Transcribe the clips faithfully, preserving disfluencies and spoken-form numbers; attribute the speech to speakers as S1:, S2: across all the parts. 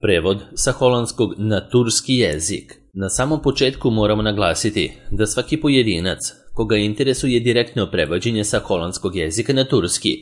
S1: Prevod sa holandskog na turski jezik. Na samom početku moramo naglasiti da svaki pojedinac koga interesuje direktno prevođenje sa holandskog jezika na turski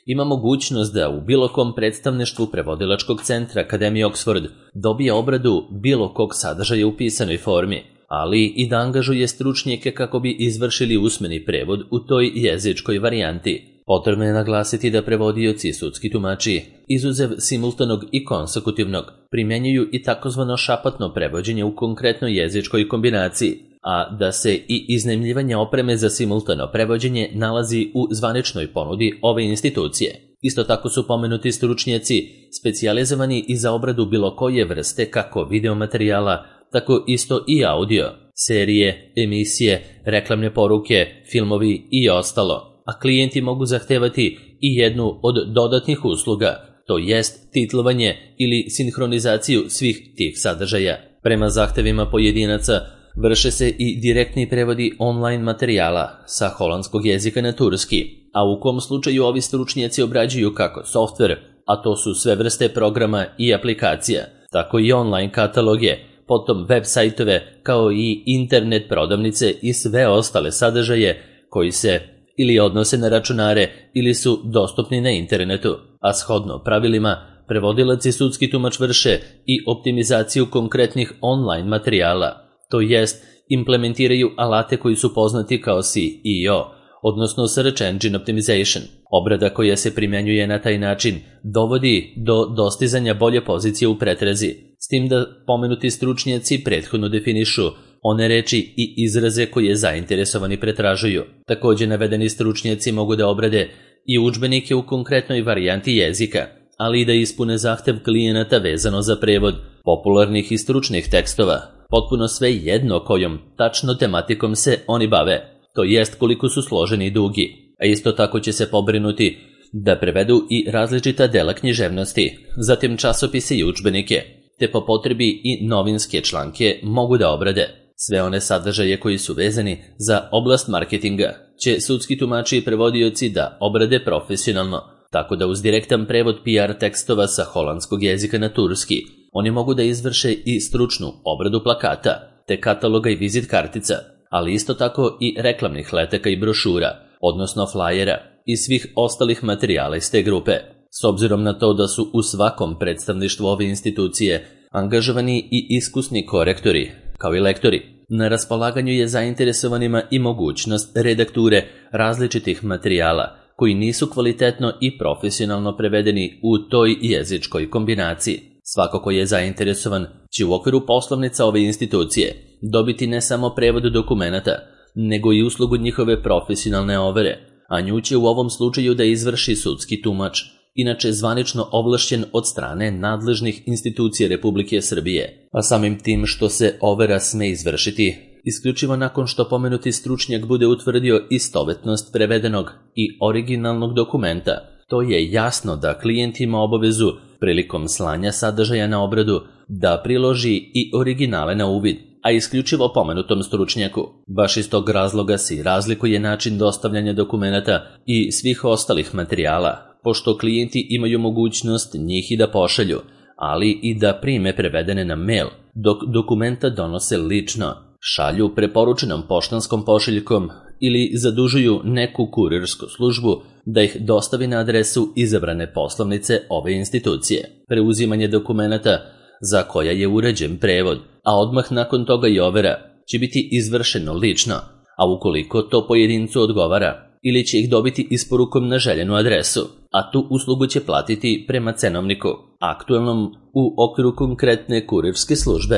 S1: ima mogućnost da u bilo kom predstavništvu prevodilačkog centra Akademije Oxford dobije obradu bilo kog sadržaja u pisanoj formi, ali i da angažuje stručnjake kako bi izvršili usmeni prevod u toj jezičkoj varijanti. Potrebno je naglasiti da prevodioci i sudski tumači, izuzev simultanog i konsekutivnog, primjenjuju i takozvano šapatno prevođenje u konkretnoj jezičkoj kombinaciji, a da se i iznajmljivanje opreme za simultano prevođenje nalazi u zvaničnoj ponudi ove institucije. Isto tako su pomenuti stručnjaci specijalizovani i za obradu bilo koje vrste kako videomaterijala, tako isto i audio, serije, emisije, reklamne poruke, filmovi i ostalo. A klijenti mogu zahtevati i jednu od dodatnih usluga, to jest titlovanje ili sinhronizaciju svih tih sadržaja. Prema zahtevima pojedinaca vrše se i direktni prevodi online materijala sa holandskog jezika na turski, a u kom slučaju ovi stručnjaci obrađuju kako softver, a to su sve vrste programa i aplikacija, tako i online kataloge, potom web sajtove kao i internet prodavnice i sve ostale sadržaje koji se ili odnose na računare ili su dostupni na internetu, a shodno pravilima prevodilac i sudski tumač vrše i optimizaciju konkretnih online materijala, to jest implementiraju alate koji su poznati kao S E O, odnosno Search Engine Optimization. Obrada koja se primjenjuje na taj način dovodi do dostizanja bolje pozicije u pretrazi, s tim da pomenuti stručnjaci prethodno definišu one reči i izraze koje zainteresovani pretražuju. Također navedeni stručnjaci mogu da obrade i udžbenike u konkretnoj varijanti jezika, ali i da ispune zahtev klijenata vezano za prevod popularnih i stručnih tekstova, potpuno sve jedno kojom tačno tematikom se oni bave, to jest koliko su složeni i dugi, a isto tako će se pobrinuti da prevedu i različita dela književnosti, zatim časopise i udžbenike, te po potrebi i novinske članke mogu da obrade. Sve one sadržaje koji su vezani za oblast marketinga će sudski tumači i prevodioci da obrade profesionalno, tako da uz direktan prevod P R tekstova sa holandskog jezika na turski, oni mogu da izvrše i stručnu obradu plakata, te kataloga i vizit kartica, ali isto tako i reklamnih letaka i brošura, odnosno flajera i svih ostalih materijala iz te grupe. S obzirom na to da su u svakom predstavništvu ove institucije angažovani i iskusni korektori, kao i lektori, na raspolaganju je zainteresovanima i mogućnost redakture različitih materijala koji nisu kvalitetno i profesionalno prevedeni u toj jezičkoj kombinaciji. Svako ko je zainteresovan će u okviru poslovnica ove institucije dobiti ne samo prevod dokumenata, nego i uslugu njihove profesionalne overe, a nju će u ovom slučaju da izvrši sudski tumač, inače zvanično ovlašćen od strane nadležnih institucija Republike Srbije, a samim tim što se overa sme izvršiti isključivo nakon što pomenuti stručnjak bude utvrdio istovetnost prevedenog i originalnog dokumenta. To je jasno da klijent ima obavezu prilikom slanja sadržaja na obradu da priloži i originale na uvid, a isključivo pomenutom stručnjaku. Baš iz tog razloga se i razlikuje način dostavljanja dokumenata i svih ostalih materijala, pošto klijenti imaju mogućnost njih i da pošalju, ali i da prime prevedene na mail, dok dokumenta donose lično, šalju preporučenom poštanskom pošiljkom ili zadužuju neku kurirsku službu da ih dostavi na adresu izabrane poslovnice ove institucije. Preuzimanje dokumenata za koja je uređen prevod, a odmah nakon toga i overa, će biti izvršeno lično, a ukoliko to pojedincu odgovara, ili će ih dobiti isporukom na željenu adresu, a tu uslugu će platiti prema cenovniku, aktuelnom u okviru konkretne kurirske službe.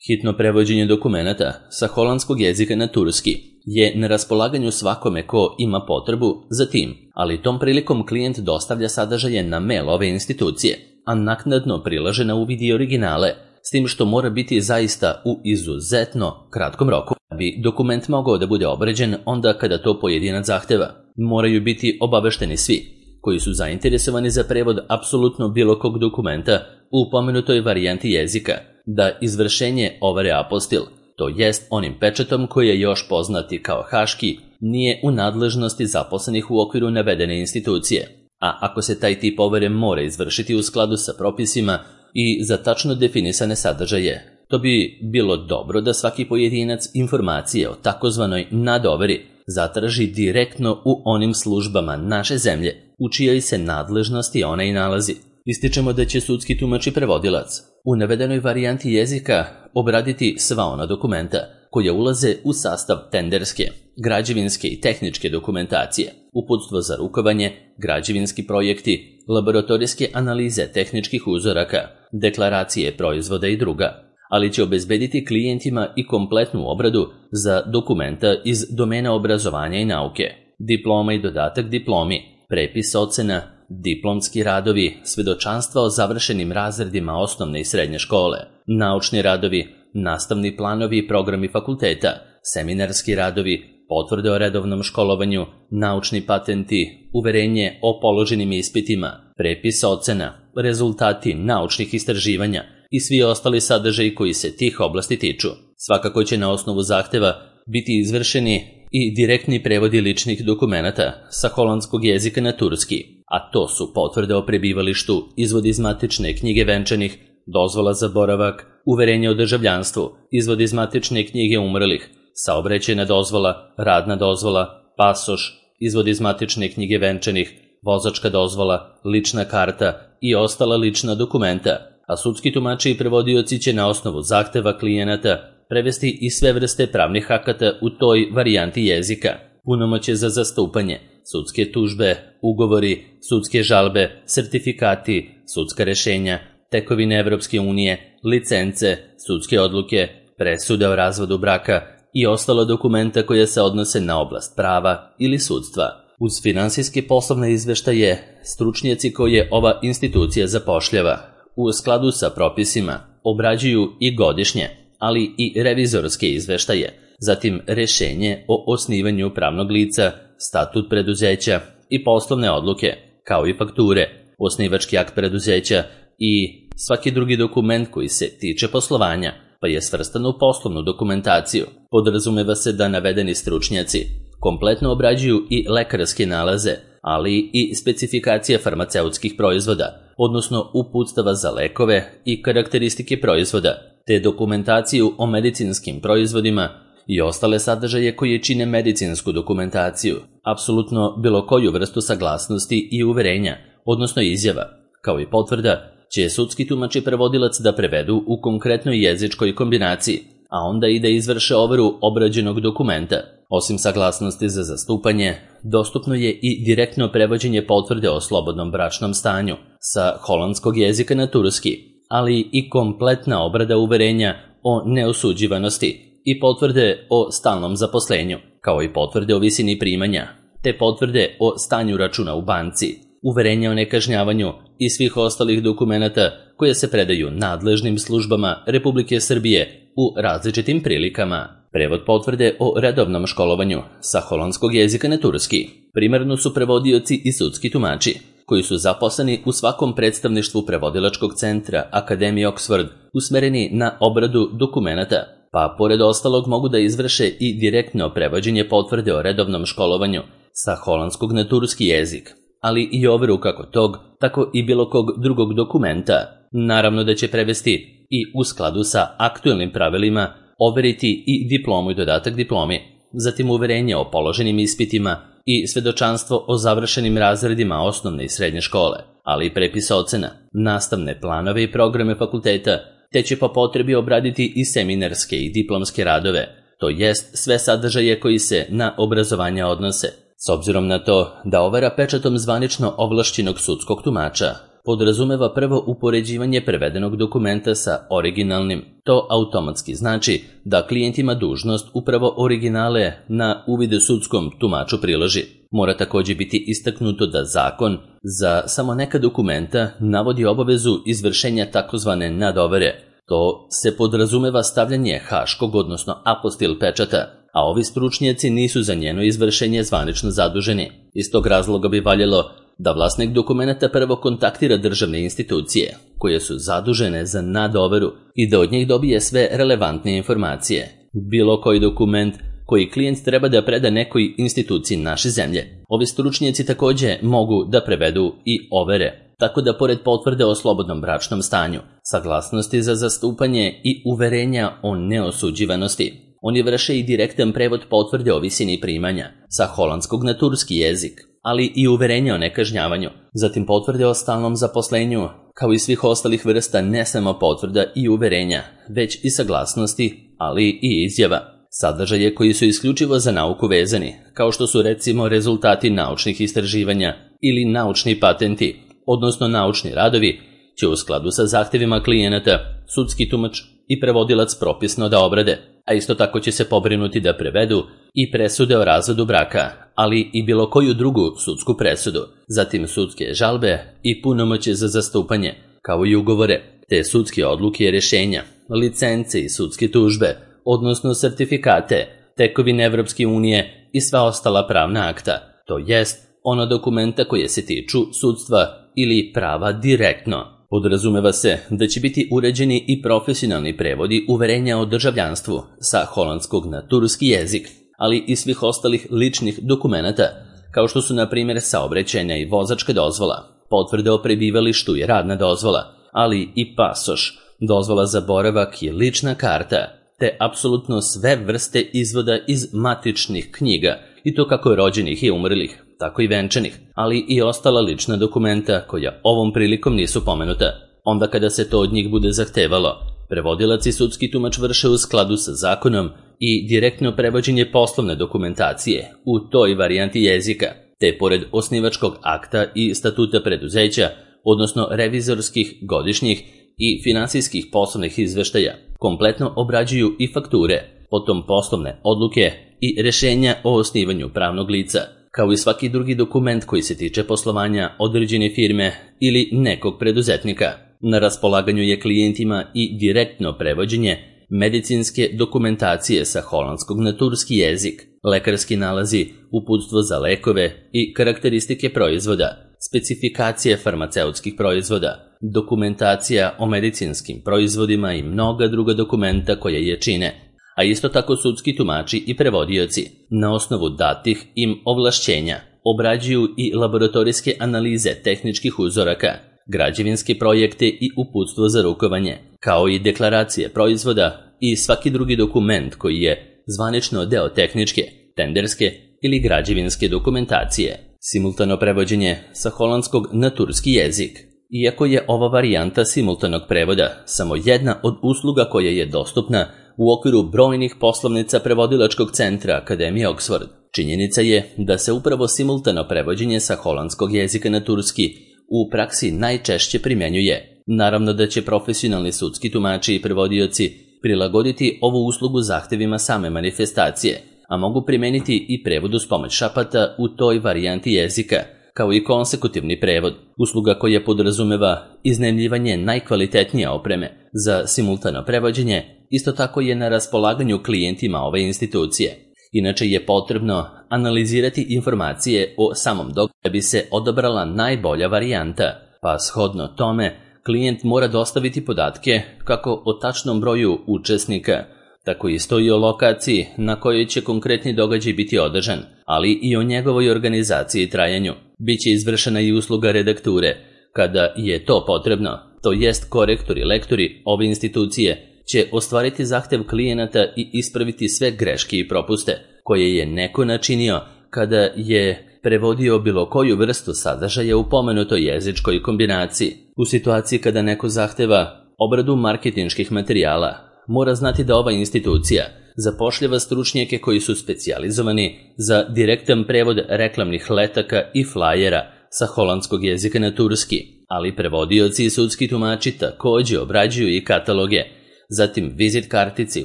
S1: Hitno prevođenje dokumenata sa holandskog jezika na turski je na raspolaganju svakome ko ima potrebu za tim, ali tom prilikom klijent dostavlja sadržaje na mail ove institucije, a naknadno prilaže na uvid i originale, s tim što mora biti zaista u izuzetno kratkom roku. Da bi dokument mogao da bude obrađen onda kada to pojedinac zahteva, moraju biti obavešteni svi koji su zainteresovani za prevod apsolutno bilo kog dokumenta u pomenutoj varijanti jezika, da izvršenje overe apostil, to jest onim pečatom koji je još poznati kao haški, nije u nadležnosti zaposlenih u okviru navedene institucije, a ako se taj tip overe mora izvršiti u skladu sa propisima, i za tačno definisane sadržaje. To bi bilo dobro da svaki pojedinac informacije o takozvanoj nadoveri zatraži direktno u onim službama naše zemlje u čijoj se nadležnosti ona i nalazi. Ističemo da će sudski tumač i prevodilac u navedenoj varijanti jezika obraditi sva ona dokumenta koja ulaze u sastav tenderske, građevinske i tehničke dokumentacije, uputstvo za rukovanje, građevinski projekti, laboratorijske analize tehničkih uzoraka, deklaracije proizvoda i druga, ali će obezbediti klijentima i kompletnu obradu za dokumenta iz domena obrazovanja i nauke, diploma i dodatak diplomi, prepis ocena, diplomski radovi, svedočanstva o završenim razredima osnovne i srednje škole, naučni radovi, nastavni planovi i programi fakulteta, seminarski radovi, potvrde o redovnom školovanju, naučni patenti, uverenje o položenim ispitima, prepis ocena, rezultati naučnih istraživanja i svi ostali sadržaji koji se tih oblasti tiču. Svakako će na osnovu zahteva biti izvršeni i direktni prevodi ličnih dokumenata sa holandskog jezika na turski, a to su potvrde o prebivalištu, izvod iz matične knjige venčanih, dozvola za boravak, uverenje o državljanstvu, izvod iz matične knjige umrlih, saobraćajna dozvola, radna dozvola, pasoš, izvod iz matične knjige venčanih, vozačka dozvola, lična karta i ostala lična dokumenta, a sudski tumači i prevodioci će na osnovu zahteva klijenata prevesti i sve vrste pravnih akata u toj varijanti jezika, punomoćje za zastupanje, sudske tužbe, ugovori, sudske žalbe, sertifikati, sudska rešenja, tekovine Evropske unije, licence, sudske odluke, presude o razvodu braka i ostalo dokumenta koje se odnose na oblast prava ili sudstva. Uz finansijske poslovne izveštaje, stručnjaci koje ova institucija zapošljava u skladu sa propisima obrađuju i godišnje, ali i revizorske izveštaje, zatim rešenje o osnivanju pravnog lica, statut preduzeća i poslovne odluke, kao i fakture, osnivački akt preduzeća i svaki drugi dokument koji se tiče poslovanja, pa je svrstan u poslovnu dokumentaciju. Podrazumeva se da navedeni stručnjaci kompletno obrađuju i lekarske nalaze, ali i specifikacije farmaceutskih proizvoda, odnosno uputstava za lekove i karakteristike proizvoda, te dokumentaciju o medicinskim proizvodima i ostale sadržaje koje čine medicinsku dokumentaciju, apsolutno bilo koju vrstu saglasnosti i uverenja, odnosno izjava, kao i potvrda, će sudski tumač i prevodilac da prevedu u konkretnoj jezičkoj kombinaciji, a onda i da izvrše overu obrađenog dokumenta. Osim saglasnosti za zastupanje, dostupno je i direktno prevođenje potvrde o slobodnom bračnom stanju sa holandskog jezika na turski, ali i kompletna obrada uverenja o neosuđivanosti i potvrde o stalnom zaposlenju, kao i potvrde o visini primanja, te potvrde o stanju računa u banci, uverenja o nekažnjavanju i svih ostalih dokumenata koje se predaju nadležnim službama Republike Srbije u različitim prilikama. Prevod potvrde o redovnom školovanju sa holandskog jezika na turski primarno su prevodioci i sudski tumači, koji su zaposleni u svakom predstavništvu prevodilačkog centra Akademije Oxford, usmereni na obradu dokumenata, pa pored ostalog mogu da izvrše i direktno prevođenje potvrde o redovnom školovanju sa holandskog na turski jezik, ali i overu kako tog, tako i bilo kog drugog dokumenta. Naravno da će prevesti i u skladu sa aktuelnim pravilima overiti i diplomu i dodatak diplomi, zatim uverenje o položenim ispitima i svedočanstvo o završenim razredima osnovne i srednje škole, ali i prepis ocena, nastavne planove i programe fakulteta, te će po potrebi obraditi i seminarske i diplomske radove, to jest sve sadržaje koji se na obrazovanje odnose. S obzirom na to da overa pečatom zvanično ovlašćenog sudskog tumača podrazumeva prvo upoređivanje prevedenog dokumenta sa originalnim, to automatski znači da klijent ima dužnost upravo originale na uvid sudskom tumaču priloži. Mora također biti istaknuto da zakon za samo neka dokumenta navodi obavezu izvršenja takozvane nadovere. To se podrazumeva stavljanje haškog, odnosno apostil pečata, a ovi stručnjaci nisu za njeno izvršenje zvanično zaduženi. Iz tog razloga bi valjalo da vlasnik dokumenta prvo kontaktira državne institucije, koje su zadužene za nadoveru, i da od njih dobije sve relevantne informacije. Bilo koji dokument koji klijent treba da preda nekoj instituciji naše zemlje. Ovi stručnjaci također mogu da prevedu i overe tako da pored potvrde o slobodnom bračnom stanju, saglasnosti za zastupanje i uverenja o neosuđivanosti, oni vrše i direktan prevod potvrde o visini primanja sa holandskog na turski jezik, ali i uverenja o nekažnjavanju, zatim potvrde o stalnom zaposlenju, kao i svih ostalih vrsta ne samo potvrda i uverenja, već i saglasnosti, ali i izjava. Sadržaje koji su isključivo za nauku vezani, kao što su recimo rezultati naučnih istraživanja ili naučni patenti, odnosno naučni radovi, će u skladu sa zahtevima klijenata sudski tumač i prevodilac propisno da obrade, a isto tako će se pobrinuti da prevedu i presude o razvodu braka, ali i bilo koju drugu sudsku presudu, zatim sudske žalbe i punomoćje za zastupanje, kao i ugovore, te sudske odluke i rješenja, licence i sudske tužbe, odnosno sertifikate, tekovine Evropske unije i sva ostala pravna akta, to jest ona dokumenta koje se tiču sudstva ili prava direktno. Podrazumeva se da će biti uređeni i profesionalni prevodi uverenja o državljanstvu sa holandskog na turski jezik, ali i svih ostalih ličnih dokumenata, kao što su na primjer saobraćajna i vozačka dozvola, potvrde o prebivalištu i radna dozvola, ali i pasoš, dozvola za boravak i lična karta, te apsolutno sve vrste izvoda iz matičnih knjiga, i to kako rođenih i umrlih, tako i venčanih, ali i ostala lična dokumenta koja ovom prilikom nisu pomenuta. Onda kada se to od njih bude zahtevalo, prevodilac i sudski tumač vrše u skladu sa zakonom i direktno prevođenje poslovne dokumentacije u toj varijanti jezika, te pored osnivačkog akta i statuta preduzeća, odnosno revizorskih, godišnjih i finansijskih poslovnih izveštaja, kompletno obrađuju i fakture, potom poslovne odluke i rješenja o osnivanju pravnog lica, kao i svaki drugi dokument koji se tiče poslovanja određene firme ili nekog preduzetnika. Na raspolaganju je klijentima i direktno prevođenje medicinske dokumentacije sa holandskog na turski jezik, lekarski nalazi, uputstvo za lekove i karakteristike proizvoda, specifikacije farmaceutskih proizvoda, dokumentacija o medicinskim proizvodima i mnoga druga dokumenta koje je čine, a isto tako sudski tumači i prevodioci na osnovu datih im ovlašćenja obrađuju i laboratorijske analize tehničkih uzoraka, građevinske projekte i uputstvo za rukovanje, kao i deklaracije proizvoda i svaki drugi dokument koji je zvanično deo tehničke, tenderske ili građevinske dokumentacije. Simultano prevođenje sa holandskog na turski jezik. Iako je ova varijanta simultanog prevoda samo jedna od usluga koja je dostupna u okviru brojnih poslovnica prevodilačkog centra Akademije Oxford, činjenica je da se upravo simultano prevođenje sa holandskog jezika na turski u praksi najčešće primjenjuje. Naravno da će profesionalni sudski tumači i prevodioci prilagoditi ovu uslugu zahtevima same manifestacije, a mogu primeniti i prevod uz pomoć šapata u toj varijanti jezika, kao i konsekutivni prevod, usluga koja podrazumeva iznajmljivanje najkvalitetnije opreme za simultano prevođenje, isto tako je na raspolaganju klijentima ove institucije. Inače je potrebno analizirati informacije o samom događaju da bi se odabrala najbolja varijanta, pa shodno tome klijent mora dostaviti podatke kako o tačnom broju učesnika, tako isto i o lokaciji na kojoj će konkretni događaj biti održan, ali i o njegovoj organizaciji i trajanju. Biće izvršena i usluga redakture, kada je to potrebno, to jest korektori i lektori ove institucije će ostvariti zahtev klijenata i ispraviti sve greške i propuste koje je neko načinio kada je prevodio bilo koju vrstu sadržaja u pomenutoj jezičkoj kombinaciji. U situaciji kada neko zahteva obradu marketinških materijala, mora znati da ova institucija zapošljava stručnjake koji su specijalizovani za direktan prevod reklamnih letaka i flajera sa holandskog jezika na turski, ali prevodioci i sudski tumači također obrađuju i kataloge, zatim vizit kartice i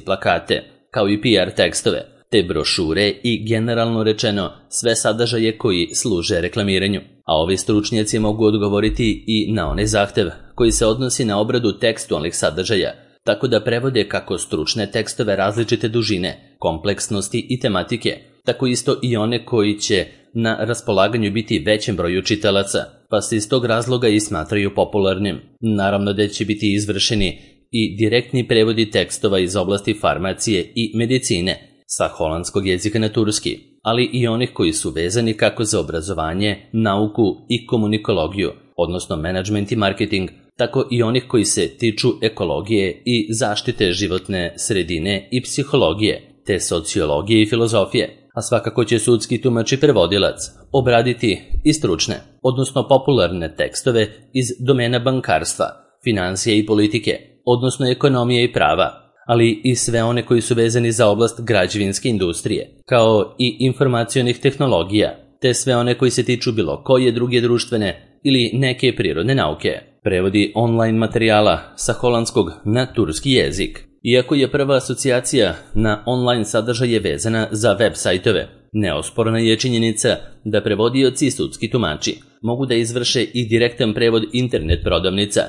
S1: plakate, kao i P R tekstove, te brošure i generalno rečeno sve sadržaje koji služe reklamiranju. A ovi stručnjaci mogu odgovoriti i na onaj zahtev koji se odnosi na obradu tekstualnih sadržaja, tako da prevode kako stručne tekstove različite dužine, kompleksnosti i tematike, tako isto i one koji će na raspolaganju biti većem broju čitalaca, pa se iz tog razloga i smatraju popularnim. Naravno da će biti izvršeni i direktni prevodi tekstova iz oblasti farmacije i medicine sa holandskog jezika na turski, ali i onih koji su vezani kako za obrazovanje, nauku i komunikologiju, odnosno menadžment i marketing, tako i onih koji se tiču ekologije i zaštite životne sredine i psihologije, te sociologije i filozofije, a svakako će sudski tumač i prevodilac obraditi i stručne, odnosno popularne tekstove iz domena bankarstva, financije i politike, odnosno ekonomije i prava, ali i sve one koji su vezani za oblast građevinske industrije, kao i informacionih tehnologija, te sve one koji se tiču bilo koje druge društvene ili neke prirodne nauke. Prevodi online materijala sa holandskog na turski jezik. Iako je prva asocijacija na online sadržaje vezana za web sajtove, neosporna je činjenica da prevodioci i sudski tumači mogu da izvrše i direktan prevod internet prodavnica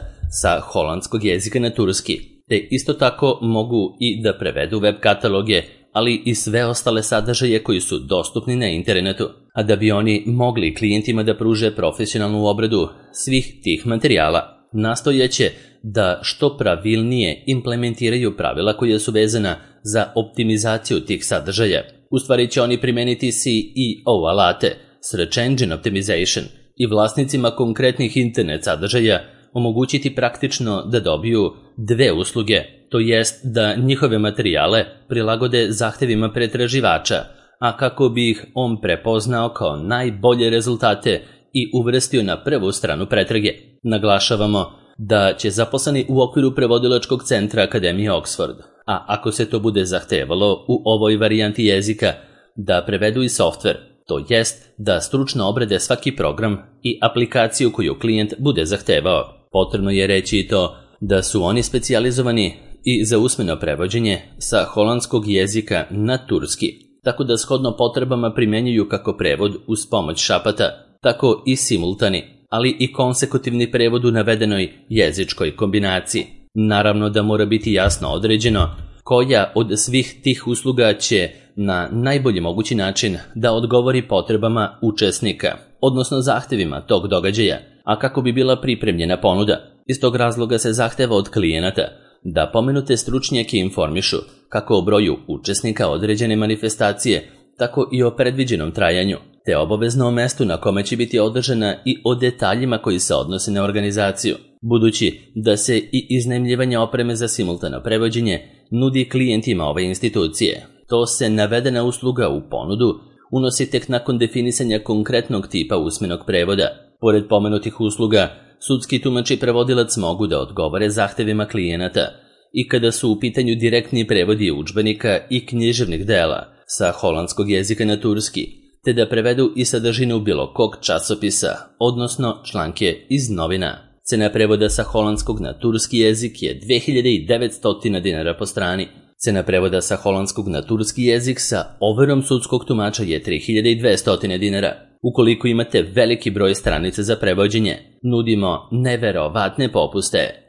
S1: sa holandskog jezika na turski, te isto tako mogu i da prevedu web kataloge, ali i sve ostale sadržaje koji su dostupni na internetu, a da bi oni mogli klijentima da pruže profesionalnu obradu svih tih materijala, nastojeće da što pravilnije implementiraju pravila koja su vezana za optimizaciju tih sadržaja. U stvari će oni primeniti C E O alate, Search Engine Optimization, i vlasnicima konkretnih internet sadržaja omogućiti praktično da dobiju dve usluge, to jest da njihove materijale prilagode zahtevima pretraživača, a kako bi ih on prepoznao kao najbolje rezultate i uvrstio na prvu stranu pretrage. Naglašavamo da će zaposleni u okviru prevodilačkog centra Akademije Oxford, a ako se to bude zahtevalo u ovoj varijanti jezika, da prevedu i softver, to jest da stručno obrade svaki program i aplikaciju koju klijent bude zahtevao. Potrebno je reći i to da su oni specijalizovani i za usmeno prevođenje sa holandskog jezika na turski, tako da shodno potrebama primenjuju kako prevod uz pomoć šapata, tako i simultani, ali i konsekutivni prevod u navedenoj jezičkoj kombinaciji. Naravno da mora biti jasno određeno koja od svih tih usluga će na najbolji mogući način da odgovori potrebama učesnika, odnosno zahtevima tog događaja, a kako bi bila pripremljena ponuda. Iz tog razloga se zahteva od klijenata da pomenute stručnjake informišu kako o broju učesnika određene manifestacije, tako i o predviđenom trajanju, te obavezno o mestu na kome će biti održana i o detaljima koji se odnose na organizaciju, budući da se i iznajmljivanje opreme za simultano prevođenje nudi klijentima ove institucije. To se navedena usluga u ponudu unosi tek nakon definisanja konkretnog tipa usmenog prevoda. Pored pomenutih usluga, sudski tumač i prevodilac mogu da odgovore zahtevima klijenata i kada su u pitanju direktni prevodi udžbenika i književnih dela sa holandskog jezika na turski, te da prevedu i sadržinu bilo kog časopisa, odnosno članke iz novina. Cena prevoda sa holandskog na turski jezik je dve hiljade devetsto dinara po strani. Cena prevoda sa holandskog na turski jezik sa overom sudskog tumača je tri hiljade dvesta dinara. Ukoliko imate veliki broj stranica za prevođenje, nudimo neverovatne popuste.